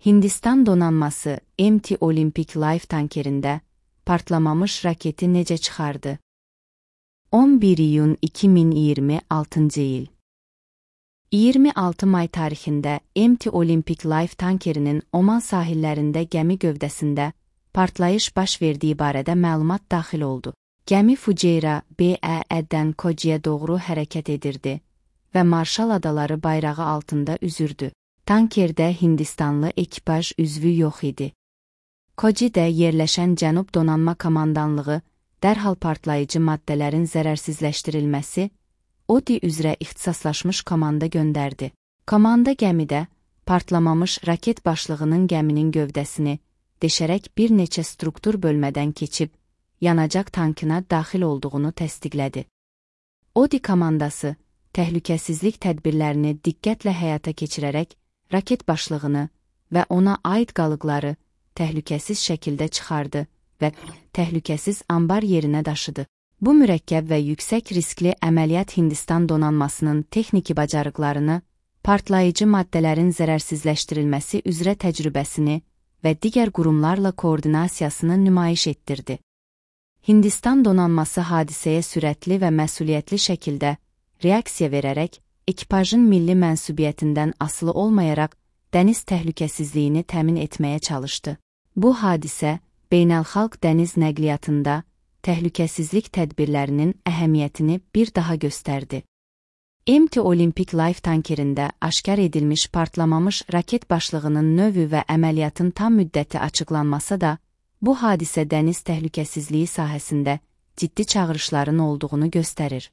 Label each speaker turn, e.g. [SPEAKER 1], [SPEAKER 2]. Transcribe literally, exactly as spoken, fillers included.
[SPEAKER 1] Hindistan donanması M T Olympic Life tankerində partlamamış raketi necə çıxardı? on bir iyun iki min iyirmi altıncı il. iyirmi altı may tarixində M T Olympic Life tankerinin Oman sahillərində gəmi gövdəsində partlayış baş verdiyi barədə məlumat daxil oldu. Gəmi Fujairah B E E-dən Kochiyə doğru hərəkət edirdi və Marshall Adaları bayrağı altında üzürdü. Tankerdə Hindistanlı ekipaj üzvü yox idi. Kochidə yerləşən Cənub Donanma Komandanlığı dərhal partlayıcı maddələrin zərərsizləşdirilməsi O D üzrə ixtisaslaşmış komanda göndərdi. Komanda gəmidə partlamamış raket başlığının gəminin gövdəsini deşərək bir neçə struktur bölmədən keçib, yanacaq tankına daxil olduğunu təsdiqlədi. O D komandası təhlükəsizlik tədbirlərini diqqətlə həyata keçirərək raket başlığını və ona aid qalıqları təhlükəsiz şəkildə çıxardı və təhlükəsiz ambar yerinə daşıdı. Bu mürəkkəb və yüksək riskli əməliyyat Hindistan donanmasının texniki bacarıqlarını, partlayıcı maddələrin zərərsizləşdirilməsi üzrə təcrübəsini və digər qurumlarla koordinasiyasını nümayiş etdirdi. Hindistan donanması hadisəyə sürətli və məsuliyyətli şəkildə reaksiya verərək, ekipajın milli mənsubiyyətindən asılı olmayaraq dəniz təhlükəsizliyini təmin etməyə çalışdı. Bu hadisə, beynəlxalq dəniz nəqliyyatında təhlükəsizlik tədbirlərinin əhəmiyyətini bir daha göstərdi. M T Olympic Life tankerində aşkar edilmiş partlamamış raket başlığının növü və əməliyyatın tam müddəti açıqlanmasa da, bu hadisə dəniz təhlükəsizliyi sahəsində ciddi çağırışların olduğunu göstərir.